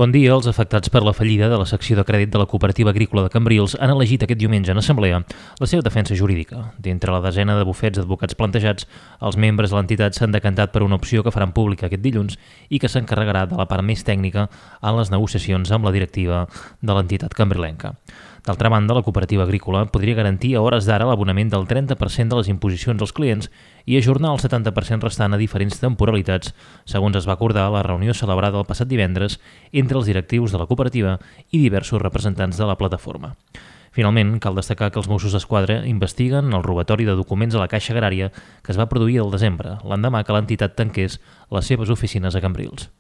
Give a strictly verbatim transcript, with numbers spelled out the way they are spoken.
Bon dia. Els afectats per la fallida de la secció de crèdit de la Cooperativa Agrícola de Cambrils han elegit aquest diumenge en assemblea la seva defensa jurídica. D'entre la desena de bufets d'advocats plantejats, els membres de l'entitat s'han decantat per una opció que faran pública aquest dilluns i que s'encarregarà de la part més tècnica en les negociacions amb la directiva de l'entitat cambrilenca. D'altra banda, la cooperativa agrícola podria garantir a hores d'ara l'abonament del trenta per cent de les imposicions als clients i ajornar el setanta per cent restant a diferents temporalitats, segons es va acordar a la reunió celebrada el passat divendres entre els directius de la cooperativa i diversos representants de la plataforma. Finalment, cal destacar que els Mossos d'Esquadra investiguen el robatori de documents a la Caixa Agrària que es va produir el desembre, l'endemà que l'entitat tanqués les seves oficines a Cambrils.